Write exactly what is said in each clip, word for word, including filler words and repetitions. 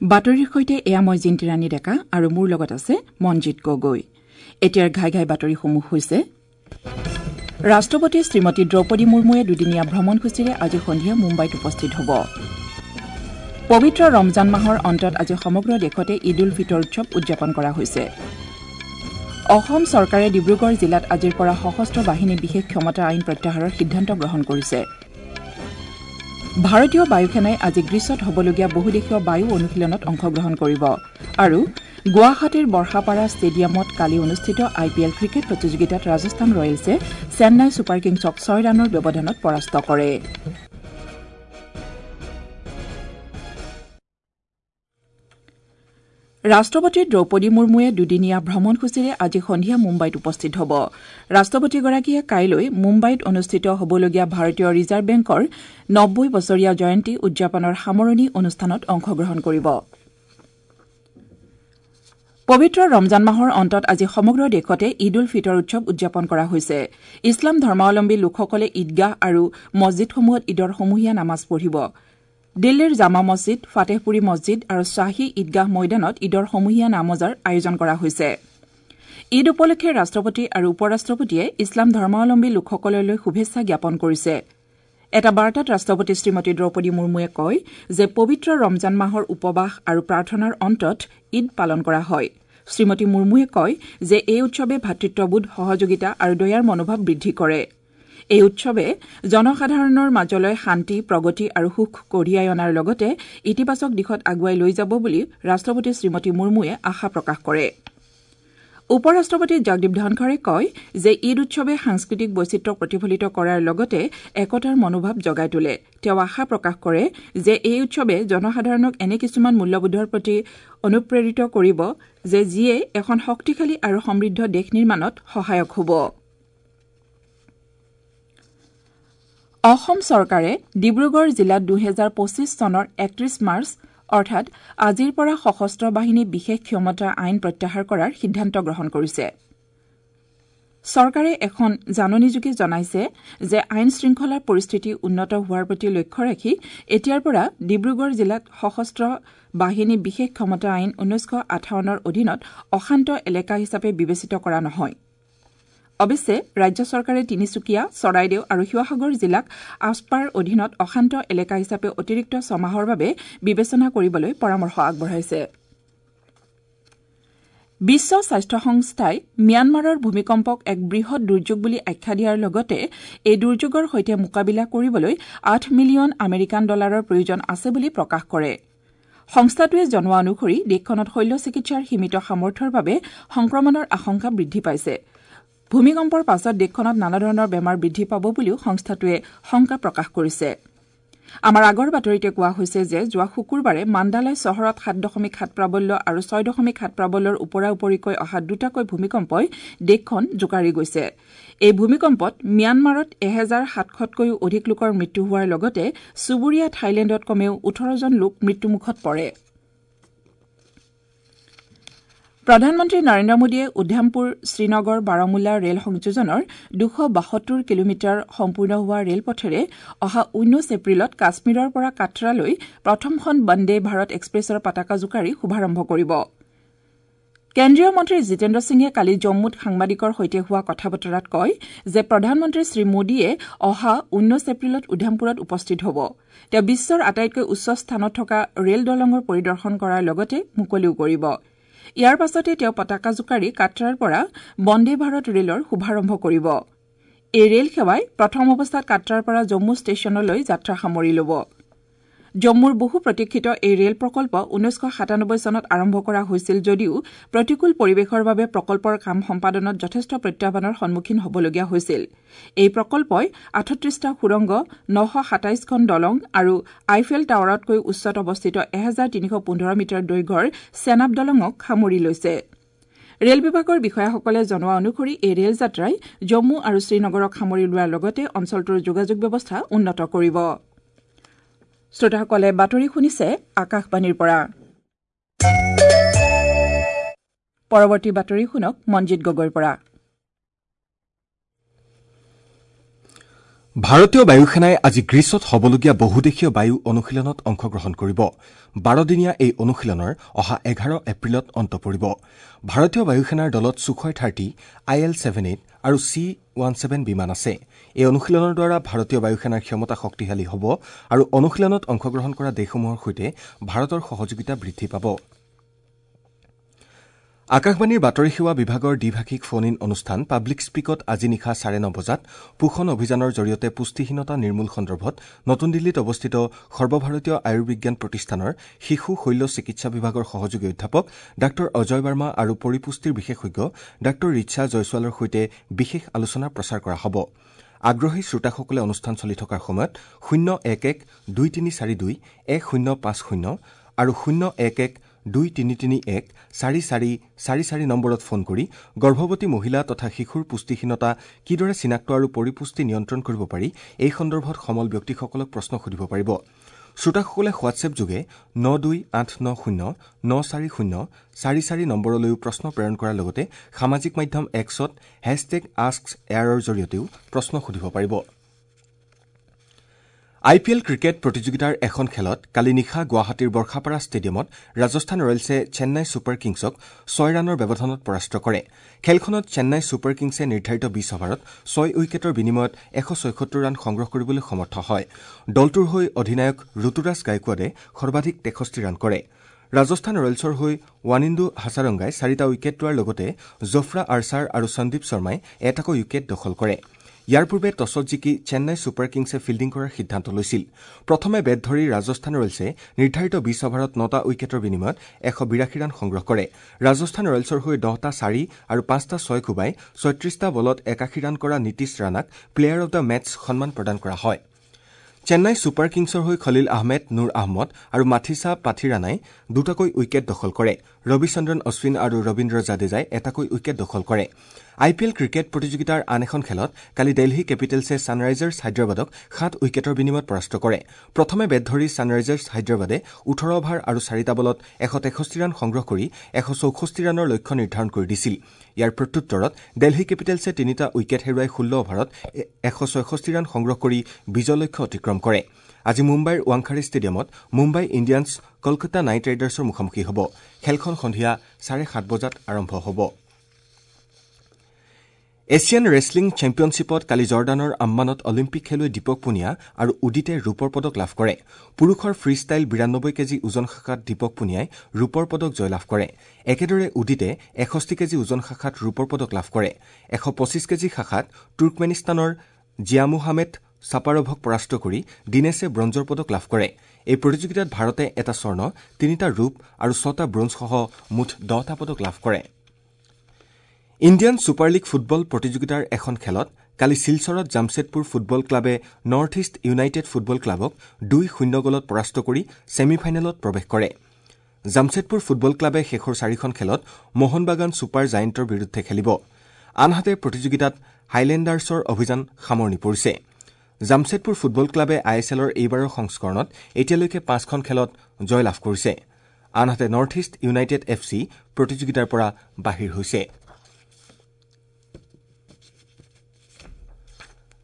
বাতৰিৰ সৈতে এয়া মই জিন্তিৰাণী ডেকা আৰু মোৰ লগত আছে মনজিত গগৈ। এতিয়াৰ ঘাই ঘাই বাতৰিসমূহ হৈছে: ৰাষ্ট্ৰপতি শ্ৰীমতী দ্ৰৌপদী মুৰ্মুৱে দুদিনীয়া ভ্ৰমণসূচীৰে আজি সন্ধিয়া মুম্বাইত উপস্থিত হ'ব। পবিত্ৰ ৰমজান মাহৰ অন্তত আজি সমগ্ৰ দেশতে ঈদ উল ফিতৰ উৎসৱ উদযাপন কৰা হৈছে। অসম চৰকাৰে ডিব্ৰুগড় জিলাত আজিৰ পৰা সশস্ত্ৰ বাহিনী বিশেষ ক্ষমতা আইন প্ৰত্যাহাৰৰ সিদ্ধান্ত গ্ৰহণ কৰিছে। ভাৰতীয় বায়ুসেনাই আজি গ্ৰীচত হ'বলগীয়া বহুদেশীয় বায়ু অনুশীলনত অংশগ্ৰহণ কৰিব। আৰু গুৱাহাটীৰ বৰ্ষাপাৰা ষ্টেডিয়ামত কালি অনুষ্ঠিত আই পি এল ক্ৰিকেট প্ৰতিযোগিতাত ৰাজস্থান ৰয়েলছে চেন্নাই ছুপাৰ কিংছক ছয় ৰানৰ ব্যৱধানত পৰাস্ত কৰে। ৰাষ্ট্ৰপতি দ্ৰৌপদী মুৰ্মুৱে দুদিনীয়া ভ্ৰমণসূচীৰে আজি সন্ধিয়া মুম্বাইত উপস্থিত হ'ব। ৰাষ্ট্ৰপতিগৰাকীয়ে কাইলৈ মুম্বাইত অনুষ্ঠিত হ'বলগীয়া ভাৰতীয় ৰিজাৰ্ভ বেংকৰ নব্বৈ বছৰীয়া জয়ন্তী উদযাপনৰ সামৰণি অনুষ্ঠানত অংশগ্ৰহণ কৰিব। পবিত্ৰ ৰমজান মাহৰ অন্তত আজি সমগ্ৰ দেশতে ঈদ উল ফিতৰ উৎসৱ উদযাপন কৰা হৈছে। ইছলাম ধৰ্মাৱলম্বী লোকসকলে ঈদগাহ আৰু মছজিদসমূহত ঈদৰ সমূহীয়া নামাজ পঢ়িব। দিল্লীৰ জামা মছজিদ, ফাটেহপুৰী মছজিদ আৰু শ্বাহী ঈদগাহ ময়দানত ঈদৰ সমূহীয়া নামাজৰ আয়োজন কৰা হৈছে। ঈদ উপলক্ষে ৰাষ্ট্ৰপতি আৰু উপ ৰাষ্ট্ৰপতিয়ে ইছলাম ধৰ্মাৱলম্বী লোকসকললৈ শুভেচ্ছা জ্ঞাপন কৰিছে। এটা বাৰ্তাত ৰাষ্ট্ৰপতি শ্ৰীমতী দ্ৰৌপদী মুৰ্মুৱে কয় যে পবিত্ৰ ৰমজান মাহৰ উপবাস আৰু প্ৰাৰ্থনাৰ অন্তত ঈদ পালন কৰা হয়। শ্ৰীমতী মুৰ্মুৱে কয় যে এই উৎসৱে ভাতৃত্ববোধ, সহযোগিতা আৰু দয়াৰ মনোভাৱ বৃদ্ধি কৰে। এই উৎসৱে জনসাধাৰণৰ মাজলৈ শান্তি, প্ৰগতি আৰু সুখ কঢ়িয়াই অনাৰ লগতে ইতিবাচক দিশত আগুৱাই লৈ যাব বুলি ৰাষ্ট্ৰপতি শ্ৰীমতী মুৰ্মুৱে আশা প্ৰকাশ কৰে। উপ ৰাষ্ট্ৰপতি জগদীপ ধনখৰে কয় যে ঈদ উৎসৱে সাংস্কৃতিক বৈচিত্ৰ্যক প্ৰতিফলিত কৰাৰ লগতে একতাৰ মনোভাৱ জগাই তোলে। তেওঁ আশা প্ৰকাশ কৰে যে এই উৎসৱে জনসাধাৰণক এনে কিছুমান মূল্যবোধৰ প্ৰতি অনুপ্ৰেৰিত কৰিব যে যিয়ে এখন শক্তিশালী আৰু সমৃদ্ধ দেশ নিৰ্মাণত সহায়ক হ'ব। অসম চৰকাৰে ডিব্ৰুগড় জিলাত দুহেজাৰ পঁচিছ চনৰ একত্ৰিশ মাৰ্চ অৰ্থাৎ আজিৰ পৰা সশস্ত্ৰ বাহিনী বিশেষ ক্ষমতা আইন প্ৰত্যাহাৰ কৰাৰ সিদ্ধান্ত গ্ৰহণ কৰিছে। চৰকাৰে এখন জাননীযোগে জনাইছে যে আইন শৃংখলাৰ পৰিস্থিতি উন্নত হোৱাৰ প্ৰতি লক্ষ্য ৰাখি এতিয়াৰ পৰা ডিব্ৰুগড় জিলাত সশস্ত্ৰ বাহিনী বিশেষ ক্ষমতা আইন ঊনৈছশ আঠাৱন্নৰ অধীনত অশান্ত এলেকা হিচাপে বিবেচিত কৰা নহয়। অৱশ্যে ৰাজ্য চৰকাৰে তিনিচুকীয়া, চৰাইদেউ আৰু শিৱসাগৰ জিলাক আছপাৰ অধীনত অশান্ত এলেকা হিচাপে অতিৰিক্ত ছমাহৰ বাবে বিবেচনা কৰিবলৈ পৰামৰ্শ আগবঢ়াইছে। বিশ্ব স্বাস্থ্য সংস্থাই ম্যানমাৰৰ ভূমিকম্পক এক বৃহৎ দুৰ্যোগ বুলি আখ্যা দিয়াৰ লগতে এই দুৰ্যোগৰ সৈতে মোকাবিলা কৰিবলৈ আঠ মিলিয়ন আমেৰিকান ডলাৰৰ প্ৰয়োজন আছে বুলি প্ৰকাশ কৰে। সংস্থাটোৱে জনোৱা অনুসৰি দেশখনত শল্য চিকিৎসাৰ সীমিত সামৰ্থ্যৰ বাবে সংক্ৰমণৰ আশংকা বৃদ্ধি পাইছে। ভূমিকম্পৰ পাছত দেশখনত নানা ধৰণৰ বেমাৰ বৃদ্ধি পাব বুলিও সংস্থাটোৱে শংকা প্ৰকাশ কৰিছে। আমাৰ আগৰ বাতৰিতে কোৱা হৈছে যে যোৱা শুকুৰবাৰে মাণ্ডালয় চহৰত সাত দশমিক সাত প্ৰাবল্য আৰু ছয় দশমিক সাত প্ৰাবল্যৰ ওপৰা-উপৰিকৈ অহা দুটাকৈ ভূমিকম্পই দেশখন জোকাৰি গৈছে। এই ভূমিকম্পত ম্যানমাৰত এহেজাৰ সাতশতকৈও অধিক লোকৰ মৃত্যু হোৱাৰ লগতে চুবুৰীয়া থাইলেণ্ডত কমেও ওঠৰজন লোক মৃত্যুমুখত পৰে। প্ৰধানমন্ত্ৰী নৰেন্দ্ৰ মোদীয়ে উধমপুৰ শ্ৰীনগৰ বাৰামুল্লা ৰেল সংযোজনৰ দুশ বাসত্তৰ কিলোমিটাৰ সম্পূৰ্ণ হোৱা ৰেলপথেৰে অহা ঊনৈশ এপ্ৰিলত কাশ্মীৰৰ পৰা কাটৰালৈ প্ৰথমখন বন্দে ভাৰত এক্সপ্ৰেছৰ পতাকা জোকাৰি শুভাৰম্ভ কৰিব। কেন্দ্ৰীয় মন্ত্ৰী জিতেন্দ্ৰ সিঙে কালি জম্মুত সাংবাদিকৰ সৈতে হোৱা কথা বতৰাত কয় যে প্ৰধানমন্ত্ৰী শ্ৰী মোদীয়ে অহা ঊনৈশ এপ্ৰিলত উধমপুৰত উপস্থিত হ'ব। তেওঁ বিশ্বৰ আটাইতকৈ উচ্চ স্থানত থকা ৰেল দলঙৰ পৰিদৰ্শন কৰাৰ লগতে মুকলিও কৰিব। ইয়াৰ পাছতে তেওঁ পতাকা জোকাৰি কাটৰাৰ পৰা বন্দে ভাৰত ৰেলৰ শুভাৰম্ভ কৰিব। এই ৰেল সেৱাই প্ৰথম অৱস্থাত কাটৰাৰ পৰা জম্মু ষ্টেচনলৈ যাত্ৰা সামৰি ল'ব। জম্মুৰ বহু প্ৰতীক্ষিত এই ৰেল প্ৰকল্প ঊনৈছশ সাতানব্বৈ চনত আৰম্ভ কৰা হৈছিল যদিও প্ৰতিকূল পৰিৱেশৰ বাবে প্ৰকল্পৰ কাম সম্পাদনত যথেষ্ট প্ৰত্যাহ্বানৰ সন্মুখীন হ'বলগীয়া হৈছিল। এই প্ৰকল্পই আঠত্ৰিশটা সুৰংগ, নশ সাতাইছখন দলং আৰু আইফেল টাৱাৰতকৈ উচ্চত অৱস্থিত এহেজাৰ তিনিশ পোন্ধৰ মিটাৰ দৈৰ্ঘ্যৰ চেনাব দলঙক সামৰি লৈছে। ৰেল বিভাগৰ বিষয়াসকলে জনোৱা অনুসৰি এই ৰেল যাত্ৰাই জম্মু আৰু শ্ৰীনগৰক সামৰি লোৱাৰ লগতে অঞ্চলটোৰ যোগাযোগ ব্যৱস্থা উন্নত কৰিব। শ্ৰোতাসকলে বাতৰি শুনিছে আকাশবাণীৰ পৰা। পৰৱৰ্তী বাতৰি শুনক মনজিত গগৈৰ পৰা। ভাৰতীয় বায়ুসেনাই আজি গ্ৰীচত হ'বলগীয়া বহুদেশীয় বায়ু অনুশীলনত অংশগ্ৰহণ কৰিব। বাৰদিনীয়া এই অনুশীলনৰ অহা এঘাৰ এপ্ৰিলত অন্ত পৰিব। ভাৰতীয় বায়ুসেনাৰ দলত Sukhoi thirty, I L seven eight আৰু চি ওৱান ছেভেন বিমান আছে। এই অনুশীলনৰ দ্বাৰা ভাৰতীয় বায়ুসেনাৰ ক্ষমতা শক্তিশালী হ'ব আৰু অনুশীলনত অংশগ্ৰহণ কৰা দেশসমূহৰ সৈতে ভাৰতৰ সহযোগিতা বৃদ্ধি পাব। আকাশবাণীৰ বাতৰি সেৱা বিভাগৰ দ্বিভাষিক ফোন ইন অনুষ্ঠান পাব্লিক স্পীকত আজি নিশা চাৰে ন বজাত পোষণ অভিযানৰ জৰিয়তে পুষ্টিহীনতা নিৰ্মূল সন্দৰ্ভত নতুন দিল্লীত অৱস্থিত সৰ্বভাৰতীয় আয়ুৰ্বিজ্ঞান প্ৰতিষ্ঠানৰ শিশু শল্য চিকিৎসা বিভাগৰ সহযোগী অধ্যাপক ডাঃ অজয় বাৰ্মা আৰু পৰিপুষ্টিৰ বিশেষজ্ঞ ডাঃ ৰিছা জয়ছোৱালৰ সৈতে বিশেষ আলোচনা প্ৰচাৰ কৰা হ'ব। আগ্ৰহী শ্ৰোতাসকলে অনুষ্ঠান চলি থকাৰ সময়ত শূন্য এক এক দুই তিনি চাৰি দুই এক শূন্য পাঁচ শূন্য আৰু শূন্য এক এক দুই তিনি তিনি এক চাৰি চাৰি চাৰি চাৰি নম্বৰত ফোন কৰি গৰ্ভৱতী মহিলা তথা শিশুৰ পুষ্টিহীনতা কিদৰে চিনাক্ত আৰু পৰিপুষ্টি নিয়ন্ত্ৰণ কৰিব পাৰি এই সন্দৰ্ভত সমল ব্যক্তিসকলক প্ৰশ্ন সুধিব পাৰিব। শ্ৰোতাসকলে হোৱাটছএপ যোগে ন দুই আঠ ন শূন্য ন চাৰি শূন্য চাৰি চাৰি নম্বৰলৈও প্ৰশ্ন প্ৰেৰণ কৰাৰ লগতে সামাজিক মাধ্যম এক্সত হেছটেগ আস্ক এয়াৰৰ জৰিয়তেও প্ৰশ্ন সুধিব পাৰিব। আই পি এল ক্ৰিকেট প্ৰতিযোগিতাৰ এখন খেলত কালি নিশা গুৱাহাটীৰ বৰ্ষাপাৰা ষ্টেডিয়ামত ৰাজস্থান ৰয়েলছে চেন্নাই ছুপাৰ কিংছক ছয় ৰানৰ ব্যৱধানত পৰাস্ত কৰে। খেলখনত চেন্নাই ছুপাৰ কিংছে নিৰ্ধাৰিত বিছ অভাৰত ছয় উইকেটৰ বিনিময়ত এশ ছয়সত্তৰ ৰান সংগ্ৰহ কৰিবলৈ সমৰ্থ হয়। দলটোৰ হৈ অধিনায়ক ঋতুৰাজ গায়কোৱাডে সৰ্বাধিক তেষষ্ঠি ৰান কৰে। ৰাজস্থান ৰয়েলছৰ হৈ ৱানিন্দু হাছাৰংগাই চাৰিটা উইকেট লোৱাৰ লগতে জফ্ৰা আৰ্চাৰ আৰু সন্দীপ শৰ্মাই এটাকৈ উইকেট দখল কৰে। ইয়াৰ পূৰ্বে টছত জিকি চেন্নাই ছুপাৰ কিংছে ফিল্ডিং কৰাৰ সিদ্ধান্ত লৈছিল। প্ৰথমে বেট ধৰি ৰাজস্থান ৰয়েলছে নিৰ্ধাৰিত বিছ অভাৰত নটা উইকেটৰ বিনিময়ত এশ বিৰাশী ৰান সংগ্ৰহ কৰে। ৰাজস্থান ৰয়েলছৰ হৈ দহটা চাৰি আৰু পাঁচটা ছয় কোবাই ছয়ত্ৰিশটা বলত একাশী ৰান কৰা নীতিশ ৰাণাক প্লেয়াৰ অব the match সন্মান প্ৰদান কৰা হয়। চেন্নাই ছুপাৰ কিংছৰ হৈ খলিল আহমেদ, নুৰ আহমদ আৰু মাথিছা পাথিৰাণাই দুটাকৈ উইকেট দখল কৰে। ৰবিচন্দ্ৰন অশ্বিন আৰু ৰবীন্দ্ৰ জাদেজাই এটাকৈ উইকেট দখল কৰে। আই পি এল ক্ৰিকেট প্ৰতিযোগিতাৰ আন এখন খেলত কালি দেলহী কেপিটেলছে ছানৰাইজাৰ্ছ হায়দৰাবাদক সাত উইকেটৰ বিনিময়ত পৰাস্ত কৰে। প্ৰথমে বেট ধৰি ছানৰাইজাৰ্ছ হায়দৰাবাদে ওঠৰ অভাৰ আৰু চাৰিটা বলত এশ তেষষ্ঠি ৰান সংগ্ৰহ কৰি এশ চৌষষ্ঠি ৰানৰ লক্ষ্য নিৰ্ধাৰণ কৰি দিছিল। ইয়াৰ প্ৰত্যুত্তৰত দেলহী কেপিটেলছে তিনিটা উইকেট হেৰুৱাই ষোল্ল অভাৰত এশ ছয়ষষ্ঠি ৰান সংগ্ৰহ কৰি বিজয় লক্ষ্য অতিক্ৰম কৰে। আজি মুম্বাইৰ ৱাংখাৰী ষ্টেডিয়ামত মুম্বাই ইণ্ডিয়ানছ কলকাতা নাইট ৰাইডাৰ্ছৰ মুখামুখি হ'ব। খেলখন সন্ধিয়া চাৰে সাত বজাত আৰম্ভ হ'ব। এছিয়ান ৰেছলিং চেম্পিয়নশ্বিপত কালি জৰ্ডানৰ আম্মানত অলিম্পিক খেলুৱৈ দীপক পুনিয়া আৰু উদিতে ৰূপৰ পদক লাভ কৰে। পুৰুষৰ ফ্ৰীষ্টাইল বিৰান্নব্বৈ কেজি ওজন শাখাত দীপক পুনিয়াই ৰূপৰ পদক জয়লাভ কৰে। একেদৰে উদিতে এষষ্ঠি কেজি ওজন শাখাত ৰূপৰ পদক লাভ কৰে। এশ পঁচিছ কেজি শাখাত তুৰ্কমেনিস্তানৰ জিয়ামুহামেদ ছাপাৰভক পৰাস্ত কৰি দীনেশে ব্ৰঞ্জৰ পদক লাভ কৰে। এই প্ৰতিযোগিতাত ভাৰতে এটা স্বৰ্ণ, তিনিটা ৰূপ আৰু ছটা ব্ৰঞ্জসহ মুঠ দহটা পদক লাভ কৰে। ইণ্ডিয়ান ছুপাৰ লীগ ফুটবল প্ৰতিযোগিতাৰ এখন খেলত কালি শিলচৰত জামছেদপুৰ ফুটবল ক্লাবে নৰ্থ ইষ্ট ইউনাইটেড ফুটবল ক্লাবক দুই শূন্য গ'লত পৰাস্ত কৰি ছেমি ফাইনেলত প্ৰৱেশ কৰে। জামছেদপুৰ ফুটবল ক্লাবে শেষৰ চাৰিখন খেলত মোহনবাগান ছুপাৰ জায়েণ্টৰ বিৰুদ্ধে খেলিব। আনহাতে প্ৰতিযোগিতাত হাইলেণ্ডাৰ্ছৰ অভিযান সামৰণি পৰিছে। জামছেদপুৰ ফুটবল ক্লাবে I S এলৰ এইবাৰৰ সংস্কৰণত এতিয়ালৈকে পাঁচখন খেলত জয়লাভ কৰিছে। আনহাতে North East United F C প্ৰতিযোগিতাৰ পৰা বাহিৰ হৈছে।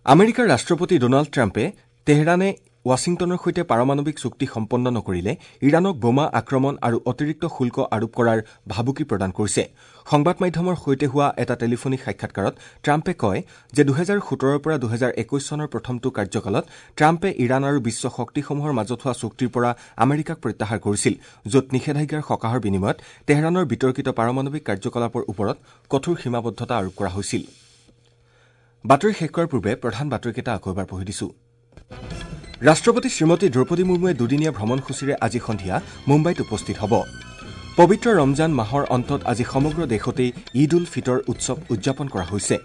আমেৰিকাৰ ৰাষ্ট্ৰপতি ডনাল্ড ট্ৰাম্পে তেহৰানে ৱাশ্বিংটনৰ সৈতে পাৰমাণৱিক চুক্তি সম্পন্ন নকৰিলে ইৰাণক বোমা আক্ৰমণ আৰু অতিৰিক্ত শুল্ক আৰোপ কৰাৰ ভাবুকি প্ৰদান কৰিছে। সংবাদ মাধ্যমৰ সৈতে হোৱা এটা টেলিফোনিক সাক্ষাৎকাৰত ট্ৰাম্পে কয় যে দুহেজাৰ সোতৰৰ পৰা দুহেজাৰ একৈশ চনৰ প্ৰথমটো কাৰ্যকালত ট্ৰাম্পে ইৰাণ আৰু বিশ্ব শক্তিসমূহৰ মাজত হোৱা চুক্তিৰ পৰা আমেৰিকাক প্ৰত্যাহাৰ কৰিছিল, য'ত নিষেধাজ্ঞাৰ সকাহৰ বিনিময়ত তেহৰাণৰ বিতৰ্কিত পাৰমাণৱিক কাৰ্যকলাপৰ ওপৰত কঠোৰ সীমাবদ্ধতা আৰোপ কৰা হৈছিল। বাতৰি শেষ কৰাৰ পূৰ্বে প্ৰধান বাতৰিকেইটা আকৌ এবাৰ পঢ়ি দিছো। ৰাষ্ট্ৰপতি শ্ৰীমতী দ্ৰৌপদী মুৰ্মুৱে দুদিনীয়া ভ্ৰমণসূচীৰে আজি সন্ধিয়া মুম্বাইত উপস্থিত হ'ব। পবিত্ৰ ৰমজান মাহৰ অন্তত আজি সমগ্ৰ দেশতেই ঈদ উল ফিতৰ উৎসৱ উদযাপন কৰা হৈছে।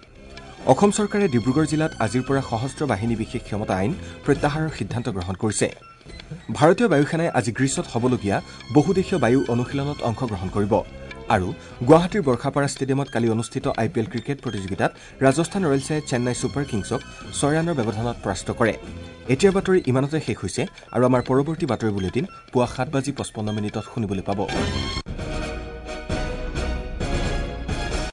অসম চৰকাৰে ডিব্ৰুগড় জিলাত আজিৰ পৰা সশস্ত্ৰ বাহিনী বিশেষ ক্ষমতা আইন প্ৰত্যাহাৰৰ সিদ্ধান্ত গ্ৰহণ কৰিছে। ভাৰতীয় বায়ুসেনাই আজি গ্ৰীচত হ'বলগীয়া বহুদেশীয় বায়ু অনুশীলনত অংশগ্ৰহণ কৰিব। আৰু গুৱাহাটীৰ বৰ্ষাপাৰা ষ্টেডিয়ামত কালি অনুষ্ঠিত আই পি এল ক্ৰিকেট প্ৰতিযোগিতাত ৰাজস্থান ৰয়েলছে চেন্নাই ছুপাৰ কিংছক ছয় ৰানৰ ব্যৱধানত পৰাস্ত কৰে। এতিয়াৰ বাতৰি ইমানতে শেষ হৈছে আৰু আমাৰ পৰৱৰ্তী বাতৰি বুলেটিন পুৱা সাত বাজি পঁচপন্ন মিনিটত শুনিবলৈ পাব।